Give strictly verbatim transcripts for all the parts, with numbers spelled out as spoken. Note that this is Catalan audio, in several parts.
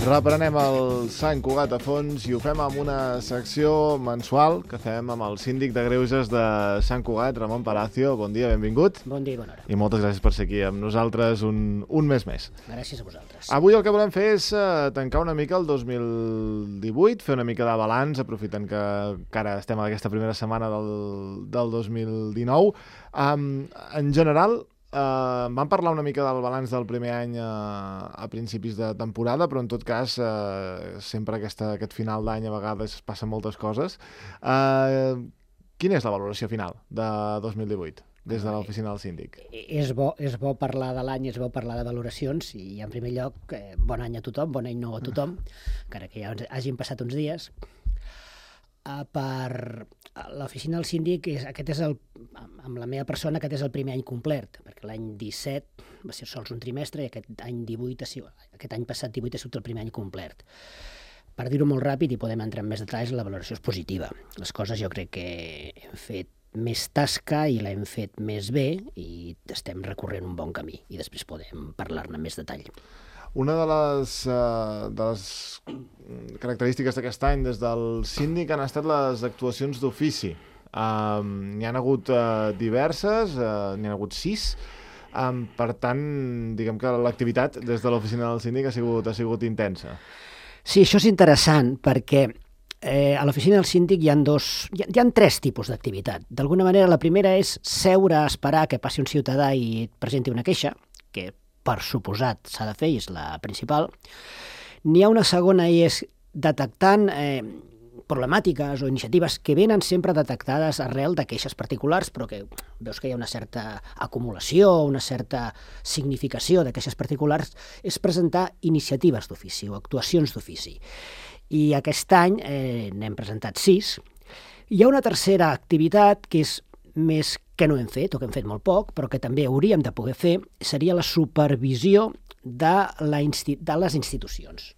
Reprenem el Sant Cugat a fons i ho fem amb una secció mensual que fem amb el síndic de Greuges de Sant Cugat, Ramon Palacio. Bon dia, benvingut. Bon dia i bona hora. I moltes gràcies per ser aquí amb nosaltres un, un mes més. Gràcies a vosaltres. Avui el que volem fer és uh, tancar una mica el dos mil divuit, fer una mica de balanç, aprofitant que encara estem a aquesta primera setmana del, del dos mil dinou. Um, en general, Uh, vam parlar una mica del balanç del primer any uh, a principis de temporada, però en tot cas uh, sempre aquesta, aquest final d'any a vegades passen moltes coses. Uh, quina és la valoració final de dos mil divuit des de l'oficina del síndic? És bo, és bo parlar de l'any, és bo parlar de valoracions i en primer lloc eh, bon any a tothom, bon any nou a tothom, encara que ja hagin passat uns dies. Uh, per l'oficina del síndic, és, aquest és el, amb la meva persona, aquest és el primer any complert, perquè l'any disset va ser sols un trimestre i aquest any divuit, aquest any passat divuit ha sigut el primer any complert. Per dir-ho molt ràpid i podem entrar en més detalls, la valoració és positiva. Les coses jo crec que hem fet més tasca i l'hem fet més bé i estem recorrent un bon camí i després podem parlar-ne en més detall. Una de les, uh, de les característiques d'aquest any des del síndic han estat les actuacions d'ofici. Um, n'hi han hagut uh, diverses, uh, n'hi han hagut sis. Um, per tant, diguem que l'activitat des de l'oficina del síndic ha sigut, ha sigut intensa. Sí, això és interessant perquè eh, a l'oficina del síndic hi ha, dos, hi ha, hi ha tres tipus d'activitat. D'alguna manera, la primera és seure a esperar que passi un ciutadà i et presenti una queixa, que per suposat s'ha de fer i és la principal. N'hi ha una segona i és detectant eh, problemàtiques o iniciatives que venen sempre detectades arrel de queixes particulars, però que veus que hi ha una certa acumulació, una certa significació de queixes particulars, és presentar iniciatives d'ofici o actuacions d'ofici. I aquest any eh, n'hem presentat sis. Hi ha una tercera activitat que és més que no hem fet, o que hem fet molt poc, però que també hauríem de poder fer, seria la supervisió de, la insti- de les institucions.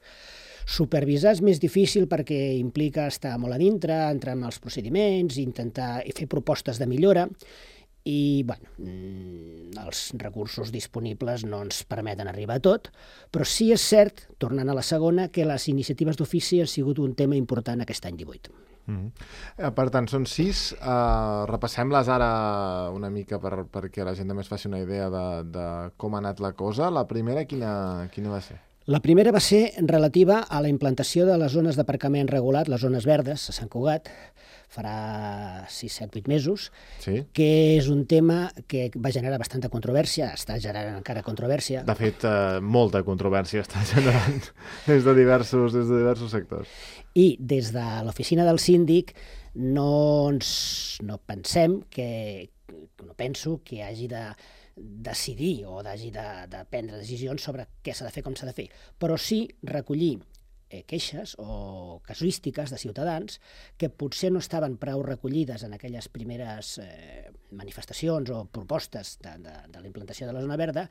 Supervisar és més difícil perquè implica estar molt a dintre, entrar en els procediments, intentar fer propostes de millora, i bueno, els recursos disponibles no ens permeten arribar a tot, però sí és cert, tornant a la segona, que les iniciatives d'ofici han sigut un tema important aquest any divuit. Mm-hmm. Per tant, són sis. Uh, repassem-les ara una mica per, perquè la gent també es faci una idea de, de com ha anat la cosa. La primera, quina, quina va ser? La primera va ser relativa a la implantació de les zones d'aparcament regulat, les zones verdes, a Sant Cugat, farà sis, set, vuit mesos, sí. Que és un tema que va generar bastanta controvèrsia, està generant encara controvèrsia. De fet, eh, molta controvèrsia està generant des de diversos, des de diversos sectors. I des de l'oficina del síndic no, ens, no pensem que, no penso que hagi de decidir o hagi de, de prendre decisions sobre què s'ha de fer, com s'ha de fer, però sí recollir eh, queixes o casuístiques de ciutadans que potser no estaven prou recollides en aquelles primeres eh, manifestacions o propostes de, de, de la implantació de la zona verda,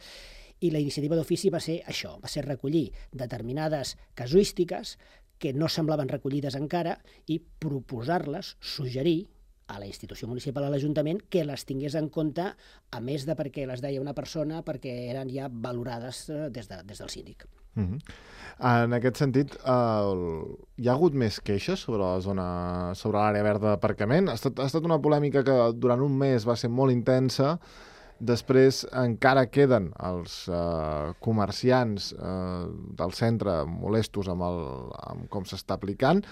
i la iniciativa d'ofici va ser això, va ser recollir determinades casuístiques que no semblaven recollides encara i proposar-les, suggerir a la institució municipal, a l'Ajuntament, que les tingués en compte, a més de perquè les deia una persona, perquè eren ja valorades des, de, des del síndic. Mm-hmm. En aquest sentit, eh, hi ha hagut més queixes sobre la zona, sobre l'àrea verda d'aparcament? Ha estat, ha estat una polèmica que durant un mes va ser molt intensa. Després encara queden els eh, comerciants eh, del centre molestos amb, el, amb com s'està aplicant,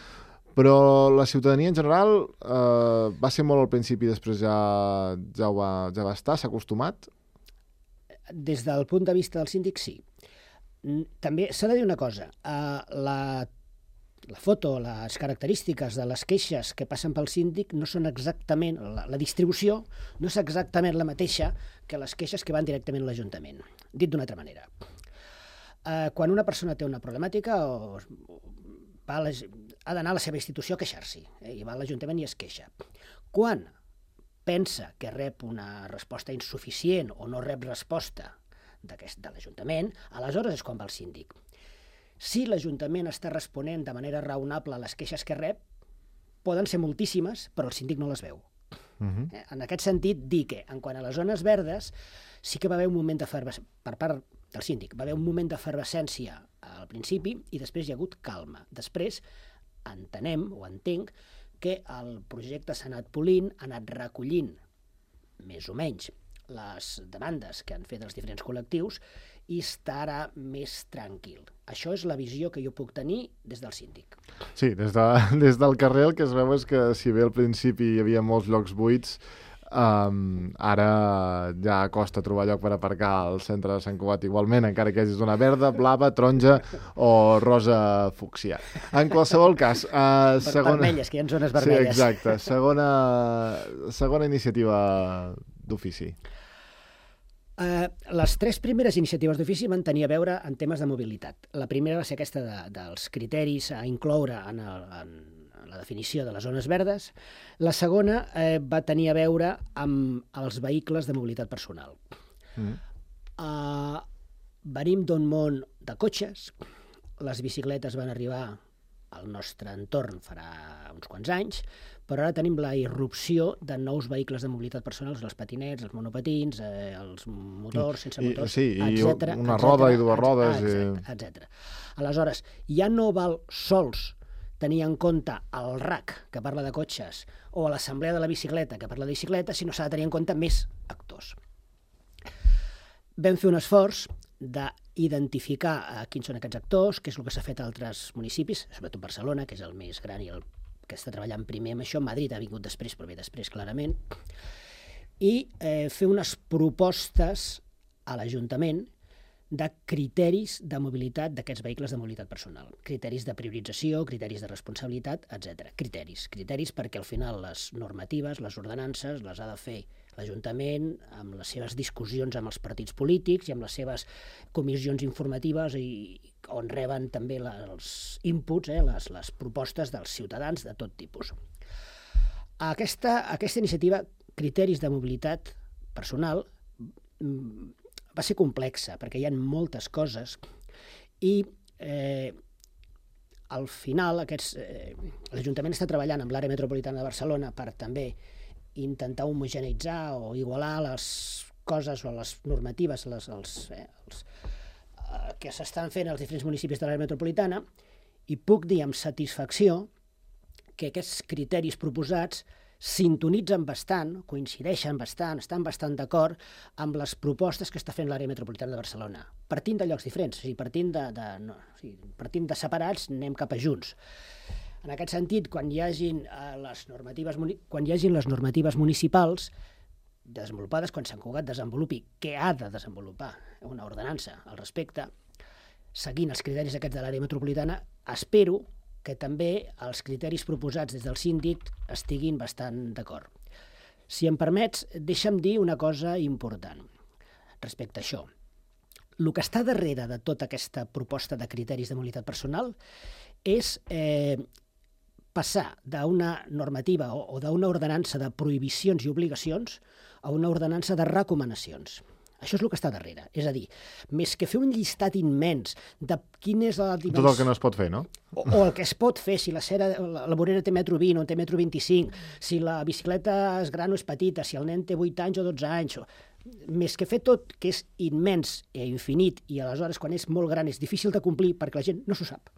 però la ciutadania en general eh, va ser molt al principi, després ja, ja, va, ja va estar, s'ha acostumat? Des del punt de vista del síndic, sí. També s'ha de dir una cosa, uh, la, la foto, les característiques de les queixes que passen pel síndic no són exactament, la, la distribució no és exactament la mateixa que les queixes que van directament a l'Ajuntament. Dit d'una altra manera, uh, quan una persona té una problemàtica o, o va a la, ha d'anar a la seva institució a queixar-s'hi, eh, i va a l'Ajuntament i es queixa. Quan pensa que rep una resposta insuficient o no rep resposta de l'Ajuntament, aleshores és quan va al síndic. Si l'Ajuntament està responent de manera raonable a les queixes que rep, poden ser moltíssimes, però el síndic no les veu. Uh-huh. Eh? En aquest sentit, dir que, en quant a les zones verdes, sí que va haver un moment d'efervescència, per part del síndic, va haver un moment d'efervescència al principi i després hi ha hagut calma. Després entenem, o entenc, que el projecte s'ha anat polint, ha anat recollint, més o menys, les demandes que han fet els diferents col·lectius i estarà més tranquil. Això és la visió que jo puc tenir des del síndic. Sí, des, de, des del carrer el que es veu és que si bé al principi hi havia molts llocs buits, Um, ara ja costa trobar lloc per aparcar al centre de Sant Cugat igualment, encara que hagi zona verda, blava, taronja o rosa fúcsia. En qualsevol cas, uh, segona... Vermelles, que hi ha zones vermelles. Sí, exacte. Segona, segona iniciativa d'ofici. Uh, les tres primeres iniciatives d'ofici van tenir a veure en temes de mobilitat. La primera va ser aquesta de, dels criteris a incloure en, el, en la definició de les zones verdes. La segona eh, va tenir a veure amb els vehicles de mobilitat personal. Mm. Uh, venim d'un món de cotxes, les bicicletes van arribar al nostre entorn farà uns quants anys, però ara tenim la irrupció de nous vehicles de mobilitat personal, els patinets, els monopatins, eh, els motors, sense I, motors, sí, etcètera, i una etcètera, roda i dues rodes. Etcètera, etcètera. Aleshores, ja no val sols tenir en compte el R A C, que parla de cotxes, o l'assemblea de la bicicleta, que parla de bicicleta, sinó s'ha de tenir en compte més actors. Vam fer un esforç d'identificar eh, quins són aquests actors, què és el que s'ha fet a altres municipis, sobretot Barcelona, que és el més gran i el que està treballant primer amb això. Madrid ha vingut després, però ve després, clarament. I eh, fer unes propostes a l'Ajuntament de criteris de mobilitat d'aquests vehicles de mobilitat personal. Criteris de priorització, criteris de responsabilitat, etcètera. Criteris. Criteris perquè al final les normatives, les ordenances, les ha de fer l'Ajuntament amb les seves discussions amb els partits polítics i amb les seves comissions informatives i on reben també la, els inputs, eh, les, les propostes dels ciutadans de tot tipus. Aquesta, aquesta iniciativa, criteris de mobilitat personal, va ser complexa, perquè hi ha moltes coses i eh, al final aquests, eh, l'Ajuntament està treballant amb l'àrea metropolitana de Barcelona per també intentar homogeneitzar o igualar les coses o les normatives les, els, eh, els, eh, que s'estan fent als diferents municipis de l'àrea metropolitana, i puc dir amb satisfacció que aquests criteris proposats sintonitzen bastant, coincideixen bastant, estan bastant d'acord amb les propostes que està fent l'àrea metropolitana de Barcelona, partint de llocs diferents, o sigui, partint de, de, no, o sigui, partint de separats, anem cap a junts. En aquest sentit, quan hi hagin, eh, les, normatives, quan hi hagin les normatives municipals desenvolupades, quan Sant Cugat desenvolupi, que ha de desenvolupar una ordenança al respecte, seguint els criteris aquests de l'àrea metropolitana, espero que també els criteris proposats des del síndic estiguin bastant d'acord. Si em permets, deixa'm dir una cosa important respecte a això. El que està darrere de tota aquesta proposta de criteris de mobilitat personal és eh, passar d'una normativa o, o d'una ordenança de prohibicions i obligacions a una ordenança de recomanacions. Això és el que està darrere. És a dir, més que fer un llistat immens de quin és la dimensió... Tot el que no es pot fer, no? O, o el que es pot fer, si la, cera, la, la vorera té metro vint o té metro vint-i-cinc, si la bicicleta és gran o és petita, si el nen té vuit anys o dotze anys... O... Més que fer tot, que és immens i infinit, i aleshores quan és molt gran és difícil de complir perquè la gent no s'ho sap.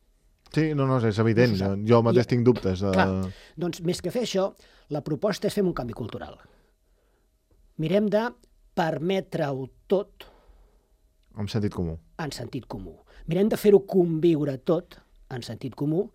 Sí, no, no, és evident. No jo mateix I, tinc dubtes. De... Clar, doncs més que fer això, la proposta és fer un canvi cultural. Mirem de permetre-ho tot... En sentit comú. En sentit comú. Mirem de fer-ho conviure tot en sentit comú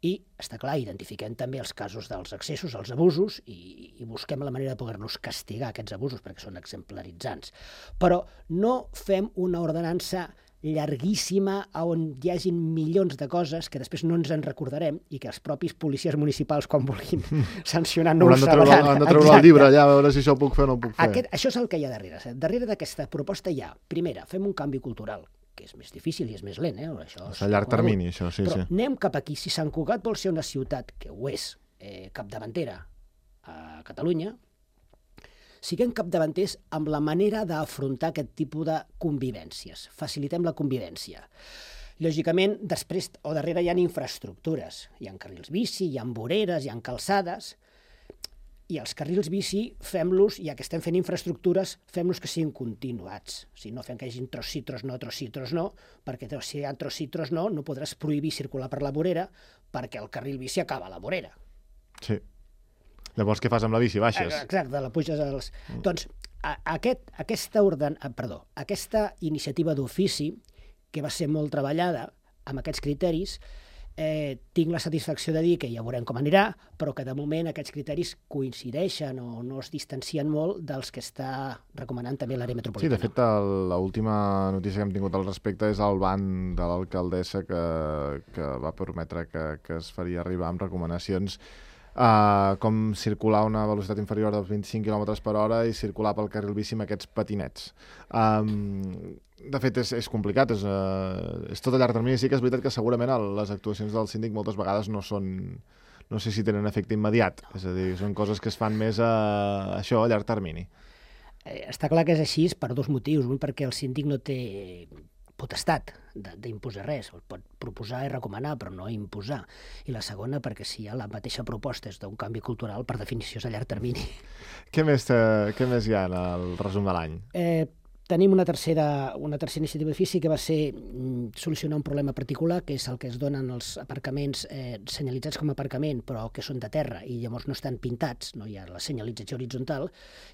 i, està clar, identifiquem també els casos dels excessos, els abusos, i, i busquem la manera de poder-los castigar, aquests abusos, perquè són exemplaritzants. Però no fem una ordenança llarguíssima on hi hagin milions de coses que després no ens en recordarem i que els propis policies municipals, quan vulguin sancionar, no ho sabran. Han de treure el llibre allà a veure si això ho puc fer o no ho puc fer. Aquest, això és el que hi ha darrere. Darrere d'aquesta proposta hi ha, primera, fem un canvi cultural, que és més difícil i és més lent. Eh? Això és a llarg termini, això, sí. Però sí. anem cap aquí. Si Sant Cugat vol ser una ciutat, que ho és, eh, capdavantera a Catalunya, siguem capdavanters amb la manera d'afrontar aquest tipus de convivències. Facilitem la convivència. Lògicament, després o darrere hi ha infraestructures. Hi ha carrils bici, hi ha voreres, hi ha calçades. I els carrils bici, fem-los, ja que estem fent infraestructures, fem-los que siguin continuats. O sigui, no fem que hi hagi tros sí, tros no, tros sí, tros no, perquè si hi ha tros sí, tros no, no podràs prohibir circular per la vorera perquè el carril bici acaba a la vorera. Sí. Llavors, què fas amb la bici? Baixes? Exacte, la puges als... Mm. Doncs, a, aquest, aquesta, orden, perdó, aquesta iniciativa d'ofici, que va ser molt treballada amb aquests criteris, Eh, tinc la satisfacció de dir que ja veurem com anirà, però que de moment aquests criteris coincideixen o no es distancien molt dels que està recomanant també l'àrea metropolitana. Sí, de fet, l'última notícia que hem tingut al respecte és el ban de l'alcaldessa que, que va prometre que, que es faria arribar amb recomanacions Uh, com circular a una velocitat inferior dels vint-i-cinc quilòmetres per hora i circular pel carril bici amb aquests patinets. Um, de fet, és, és complicat, és, uh, és tot a llarg termini. Sí que és veritat que segurament les actuacions del síndic moltes vegades no són... no sé si tenen efecte immediat, és a dir, són coses que es fan més a, a això, a llarg termini. Eh, està clar que és així per dos motius. Un, perquè el síndic no té potestat d'imposar res, el pot proposar i recomanar, però no imposar. I la segona, perquè si hi ha la mateixa proposta és d'un canvi cultural, per definició és a llarg termini. Què més, te, què més hi ha en el resum de l'any? Eh, tenim una tercera, una tercera iniciativa d'ofici que va ser mm, solucionar un problema particular, que és el que es donen els aparcaments eh, senyalitzats com a aparcament, però que són de terra i llavors no estan pintats, no hi ha la senyalització horitzontal.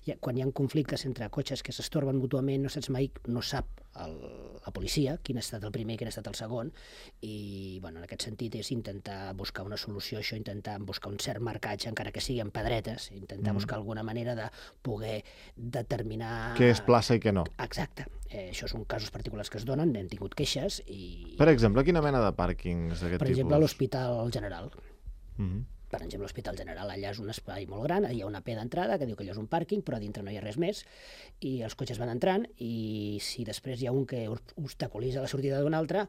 I quan hi ha conflictes entre cotxes que s'estorben mútuament, no saps mai, no sap el, la policia quin ha estat el primer i quin ha estat el segon, i bueno, en aquest sentit és intentar buscar una solució a això, intentar buscar un cert marcatge, encara que sigui en pedretes, intentar mm. buscar alguna manera de poder determinar... Què és plaça i què no. Exacte. Eh, això són casos particulars que es donen, hem tingut queixes i... Per exemple, quina mena de pàrquings d'aquest tipus? Per exemple, l'Hospital General. Mm-hmm. Per exemple, l'Hospital General, allà és un espai molt gran, hi ha una P d'entrada que diu que allò és un pàrquing, però a dintre no hi ha res més, i els cotxes van entrant, i si després hi ha un que obstaculitza la sortida d'un altre,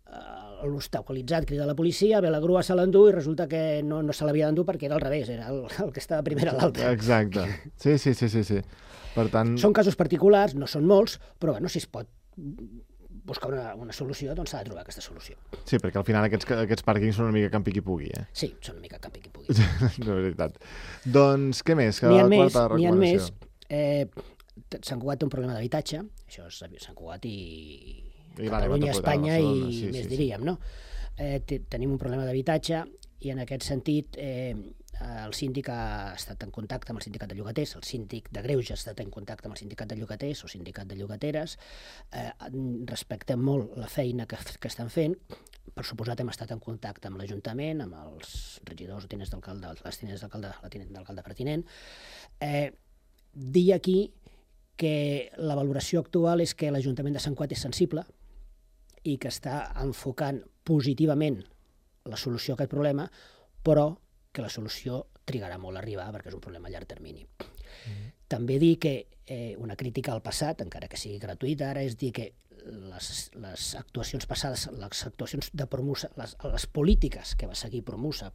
eh, l'obstaculitzat crida a la policia, ve la grua, se l'endú, i resulta que no, no se l'havia d'endur perquè era al revés, era el, el que estava primer a l'altre. Exacte. Sí, sí, sí, sí, sí. Per tant... Són casos particulars, no són molts, però bueno, si es pot buscar una, una solució, doncs s'ha de trobar aquesta solució. Sí, perquè al final aquests, aquests pàrquings són una mica campi qui pugui, eh? Sí, són una mica campi qui pugui. De veritat. Doncs què més? N'hi ha més, n'hi ha més. Eh, Sant Cugat té un problema d'habitatge, això és Sant Cugat i, i Catalunya, Espanya i sí, més sí, diríem, sí. no? Eh, tenim un problema d'habitatge i en aquest sentit eh, el síndic ha estat en contacte amb el sindicat de llogaters, el síndic de Greuges ha estat en contacte amb el sindicat de llogaters o sindicat de llogateres, eh, respectem molt la feina que, que estan fent, per suposat hem estat en contacte amb l'Ajuntament, amb els regidors o tinents d'alcalde, les tinents d'alcalde, la tinent d'alcalde pertinent. Eh, dir aquí que la valoració actual és que l'Ajuntament de Sant Cugat és sensible i que està enfocant positivament la solució a aquest problema, però que la solució trigarà molt a arribar perquè és un problema a llarg termini. Mm. També dir que eh, una crítica al passat, encara que sigui gratuïta ara, és dir que les, les actuacions passades, les actuacions de Promusa, les, les polítiques que va seguir Promusa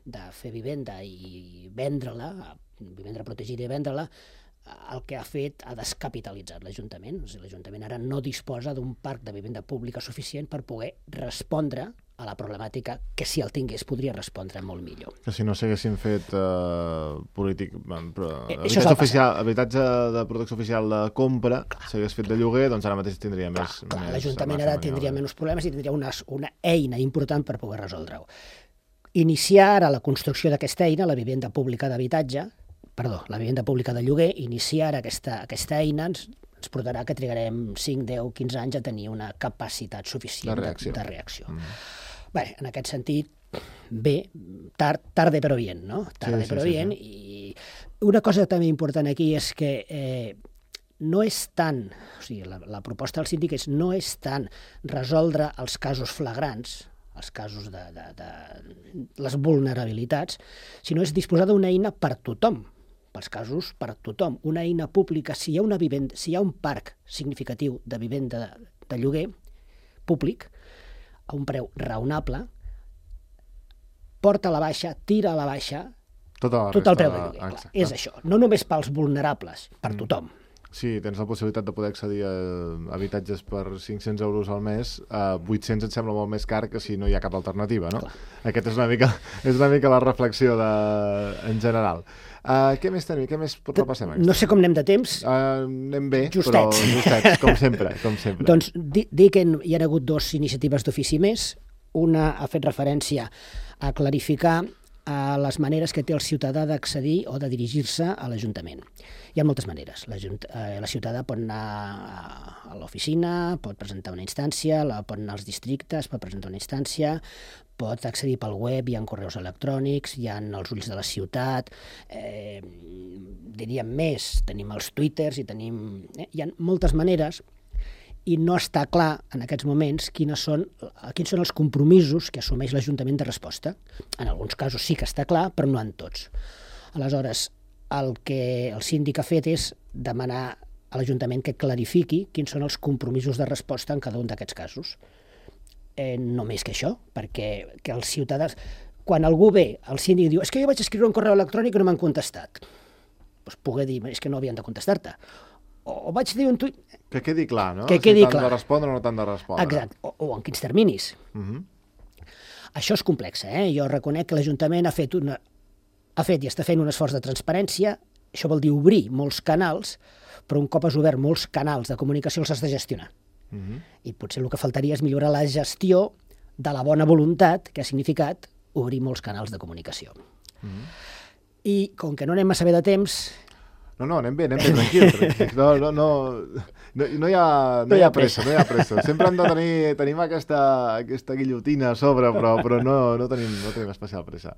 de fer vivenda i vendre-la, vivenda protegida i vendre-la, el que ha fet ha descapitalitzat l'Ajuntament. O sigui, l'Ajuntament ara no disposa d'un parc de vivenda pública suficient per poder respondre a la problemàtica que si el tingués podria respondre molt millor. Que si no s'haguessin fet uh, polític, però, eh, habitatge, oficial, habitatge de protecció oficial de compra, s'hagués fet de lloguer, doncs ara mateix tindria clar, més... Clar, més l'Ajuntament ara tindria menys problemes i tindria una, una eina important per poder resoldre-ho. Iniciar ara la construcció d'aquesta eina, la vivenda pública d'habitatge, perdó, la vivenda pública de lloguer, iniciar aquesta, aquesta eina ens, ens portarà que trigarem cinc, deu, quinze anys a tenir una capacitat suficient de reacció. De, de reacció. Mm. Bé, en aquest sentit, bé, tard, tarde però bien, no? Tarde sí, però sí, bien. Sí, sí. I una cosa també important aquí és que eh, no és tant, o sigui, la, la proposta del síndic és no és tant resoldre els casos flagrants, els casos de, de, de les vulnerabilitats, sinó és disposar d'una eina per tothom, pels casos per tothom, una eina pública. Si hi ha una vivenda, si hi ha un parc significatiu de vivenda de, de lloguer públic, a un preu raonable, porta a la baixa, tira a la baixa tota la tot el preu de de... lloguer. Clar, és això, no només pels vulnerables, per tothom. Sí, tens la possibilitat de poder accedir a habitatges per cinc-cents euros al mes, a vuit-cents et sembla molt més car que si no hi ha cap alternativa, no? Clar. Aquesta és una mica, és una mica la reflexió de, en general. Uh, què més tenim? Què més repassem? No sé com anem de temps. Uh, anem bé, Justets. però justets, com sempre. Com sempre. Doncs dir di que hi ha hagut dues iniciatives d'ofici més. Una ha fet referència a clarificar a les maneres que té el ciutadà d'accedir o de dirigir-se a l'Ajuntament. Hi ha moltes maneres. La, eh, la ciutadà pot anar a l'oficina, pot presentar una instància, la, pot anar als districtes, pot presentar una instància, pot accedir pel web, hi ha correus electrònics, hi ha els ulls de la ciutat, eh, diríem més, tenim els twitters i tenim... Eh, hi ha moltes maneres i no està clar en aquests moments quines són, quins són els compromisos que assumeix l'Ajuntament de resposta. En alguns casos sí que està clar, però no en tots. Aleshores, el que el síndic ha fet és demanar a l'Ajuntament que clarifiqui quins són els compromisos de resposta en cada un d'aquests casos. Eh, no més que això, perquè que els ciutadans... Quan algú ve, el síndic diu és que jo vaig escriure un correu electrònic i no m'han contestat. Doncs poder dir, és que no havien de contestar-te. O vaig dir un tuit... Que quedi clar, no? Que quedi si t'han clar. de respondre o no t'han de respondre. Exacte, o, o en quins terminis. Uh -huh. Això és complex, eh? Jo reconec que l'Ajuntament ha fet una... ha fet i està fent un esforç de transparència. Això vol dir obrir molts canals, però un cop has obert molts canals de comunicació els has de gestionar. Uh -huh. I potser el que faltaria és millorar la gestió de la bona voluntat que ha significat obrir molts canals de comunicació. Uh -huh. I com que no anem massa bé de temps... No, no, anem bé, anem bé, tranquil, tranquil. No, no, no, no, no, hi ha, no, no hi ha pressa, no hi ha pressa. Sempre hem de tenir, tenim aquesta, aquesta guillotina a sobre, però, però no, no, tenim, no tenim especial pressa.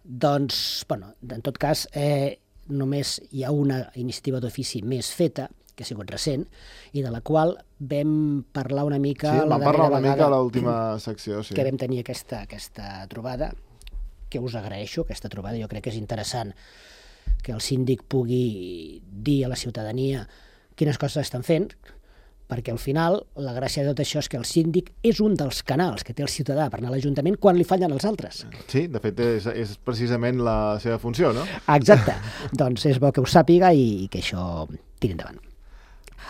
Doncs, bueno, en tot cas, eh, només hi ha una iniciativa d'ofici més feta, que ha sigut recent, i de la qual vam parlar una mica... Sí, la vam parlar una vegada mica a l'última secció, sí. Que vam tenir aquesta, aquesta trobada, que us agraeixo, aquesta trobada, jo crec que és interessant que el síndic pugui dir a la ciutadania quines coses estan fent, perquè al final la gràcia de tot això és que el síndic és un dels canals que té el ciutadà per anar a l'Ajuntament quan li fallen els altres. Sí, de fet és, és precisament la seva funció, no? Exacte, doncs és bo que ho sàpiga i, i que això tiri endavant.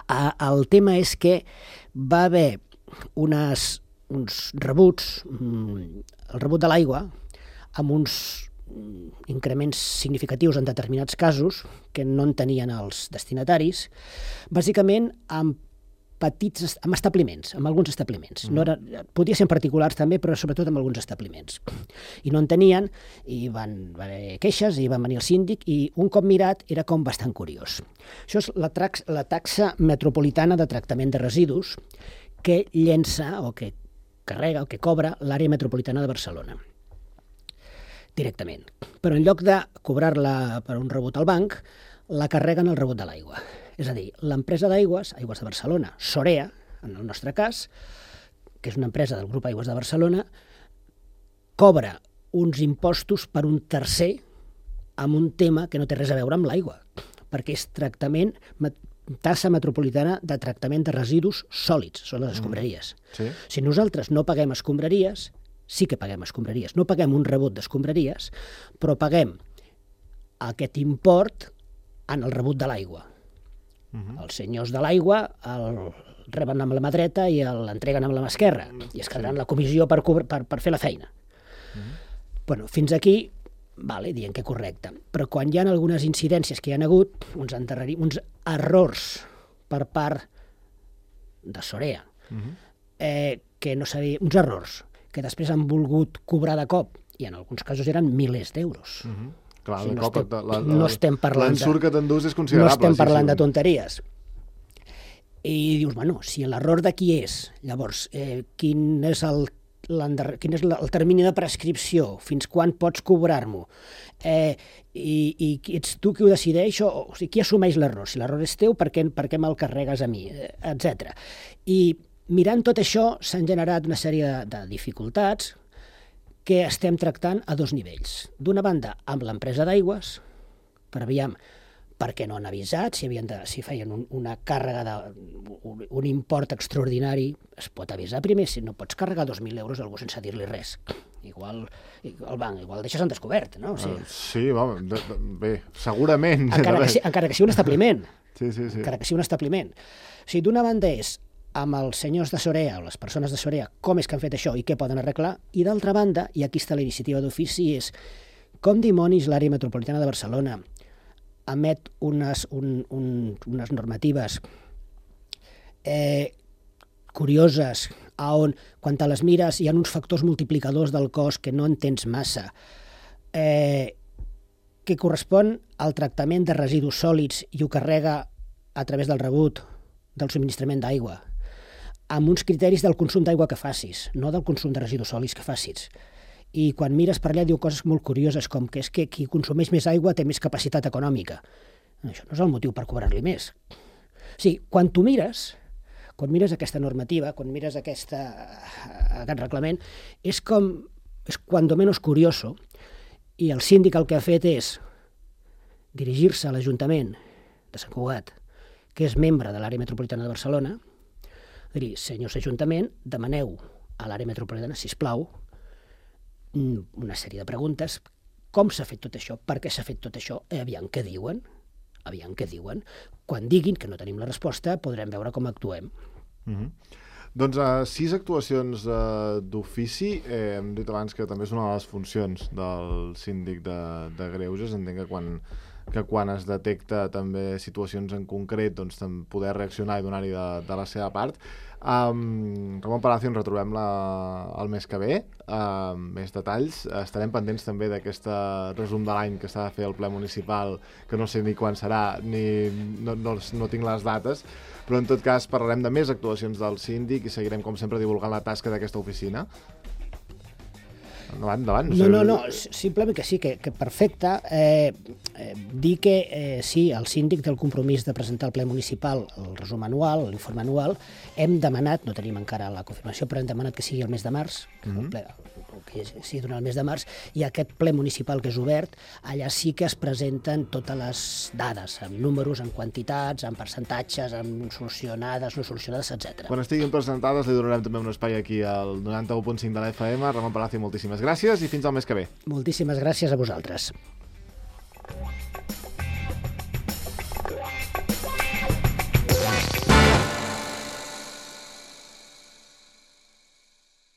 Uh, el tema és que va haver unes, uns rebuts, mm, el rebut de l'aigua, amb uns increments significatius en determinats casos que no en tenien els destinataris, bàsicament amb petits, amb establiments, amb alguns establiments. No era, podia ser en particulars també, però sobretot amb alguns establiments. I no en tenien, i van, van haver queixes, i van venir el síndic, i un cop mirat era com bastant curiós. Això és la, trax, la taxa metropolitana de tractament de residus que llença o que carrega o que cobra l'àrea metropolitana de Barcelona directament. Però en lloc de cobrar-la per un rebut al banc, la carreguen al rebut de l'aigua. És a dir, l'empresa d'aigües, Aigües de Barcelona, Sorea, en el nostre cas, que és una empresa del grup Aigües de Barcelona, cobra uns impostos per un tercer amb un tema que no té res a veure amb l'aigua, perquè és tractament, tassa metropolitana de tractament de residus sòlids, són les escombraries. Mm. Sí. Si nosaltres no paguem escombraries, sí que paguem escombraries. No paguem un rebut d'escombraries, però paguem aquest import en el rebut de l'aigua. Uh -huh. Els senyors de l'aigua el reben amb la mà dreta i l'entreguen amb la mà esquerra, i es quedaran sí. la comissió per, per, per fer la feina. Uh -huh. Bueno, fins aquí, vale, dient que correcte. Però quan hi ha algunes incidències que hi ha hagut, uns, uns errors per part de Sorea, uh -huh. eh, que no sabia, uns errors, que després han volgut cobrar de cop, i en alguns casos eren milers d'euros. Uh -huh. Clar, o sigui, no, no, estem, estem, la, la, no estem parlant l'ensurt que t'endús és considerable. No estem parlant sí, sí. de tonteries. I dius, bueno, si l'error de qui és, llavors, eh, quin és el quin és el termini de prescripció, fins quan pots cobrar-m'ho, eh, i, i ets tu qui ho decideix, o, o sigui, qui assumeix l'error? Si l'error és teu, per què, per què me'l carregues a mi, etcètera. I mirant tot això s'han generat una sèrie de, de dificultats que estem tractant a dos nivells. D'una banda, amb l'empresa d'aigües, per aviam per què no han avisat, si, havien de, si feien un, una càrrega, de, un, un import extraordinari, es pot avisar primer, si no pots carregar dos mil euros a algú sense dir-li res. Igual el banc, igual deixes en descobert, no? O sigui, uh, sí, home, de, de, bé, segurament. Encara que, si, encara que sigui un establiment. Sí, sí, sí. Encara que sigui un establiment. O sigui, d'una banda és amb els senyors de Sorea o les persones de Sorea com és que han fet això i què poden arreglar, i d'altra banda, i aquí està la iniciativa d'ofici, és com dimonis l'àrea metropolitana de Barcelona emet unes, un, un, unes normatives eh, curioses, a on, quan te les mires, hi ha uns factors multiplicadors del cost que no entens massa, eh, que correspon al tractament de residus sòlids i ho carrega a través del rebut del subministrament d'aigua, amb uns criteris del consum d'aigua que facis, no del consum de residus sòlids que facis. I quan mires per allà diu coses molt curioses, com que és que qui consumeix més aigua té més capacitat econòmica. Això no és el motiu per cobrar-li més. O sigui, quan tu mires, quan mires aquesta normativa, quan mires aquesta, aquest reglament, és com, és cuando menos curioso, i el síndic el que ha fet és dirigir-se a l'Ajuntament de Sant Cugat, que és membre de l'àrea metropolitana de Barcelona, dir, senyors Ajuntament, demaneu a l'àrea metropolitana, sisplau, una sèrie de preguntes, com s'ha fet tot això, per què s'ha fet tot això, eh, aviam què diuen, aviam què diuen. Quan diguin que no tenim la resposta, podrem veure com actuem. Mm-hmm. Doncs uh, sis actuacions uh, d'ofici, eh, hem dit abans que també és una de les funcions del síndic de, de Greuges. Entenc que quan, que quan es detecta també situacions en concret, doncs poder reaccionar i donar-hi de, de la seva part. Um, Ramon Palacio, ens retrobem la, el mes que ve, uh, més detalls. Estarem pendents també d'aquest resum de l'any que s'ha de fer el ple municipal, que no sé ni quan serà, ni no, no, no tinc les dates, però en tot cas parlarem de més actuacions del síndic i seguirem, com sempre, divulgant la tasca d'aquesta oficina. Endavant, endavant. No, no, no, simplement que sí, que, que perfecte. Eh, eh, dir que eh, sí, el síndic té el compromís de presentar al ple municipal el resum anual, l'informe anual. Hem demanat, no tenim encara la confirmació, però hem demanat que sigui el mes de març, que, mm-hmm. el ple, que sigui durant el mes de març, i aquest ple municipal que és obert, allà sí que es presenten totes les dades, amb números, amb quantitats, amb percentatges, amb solucionades, no solucionades, etcètera. Quan estiguin presentades li donarem també un espai aquí al noranta-u punt cinc de la F M. Ramon Palacio, moltíssimes gràcies i fins al mes que ve. Moltíssimes gràcies a vosaltres.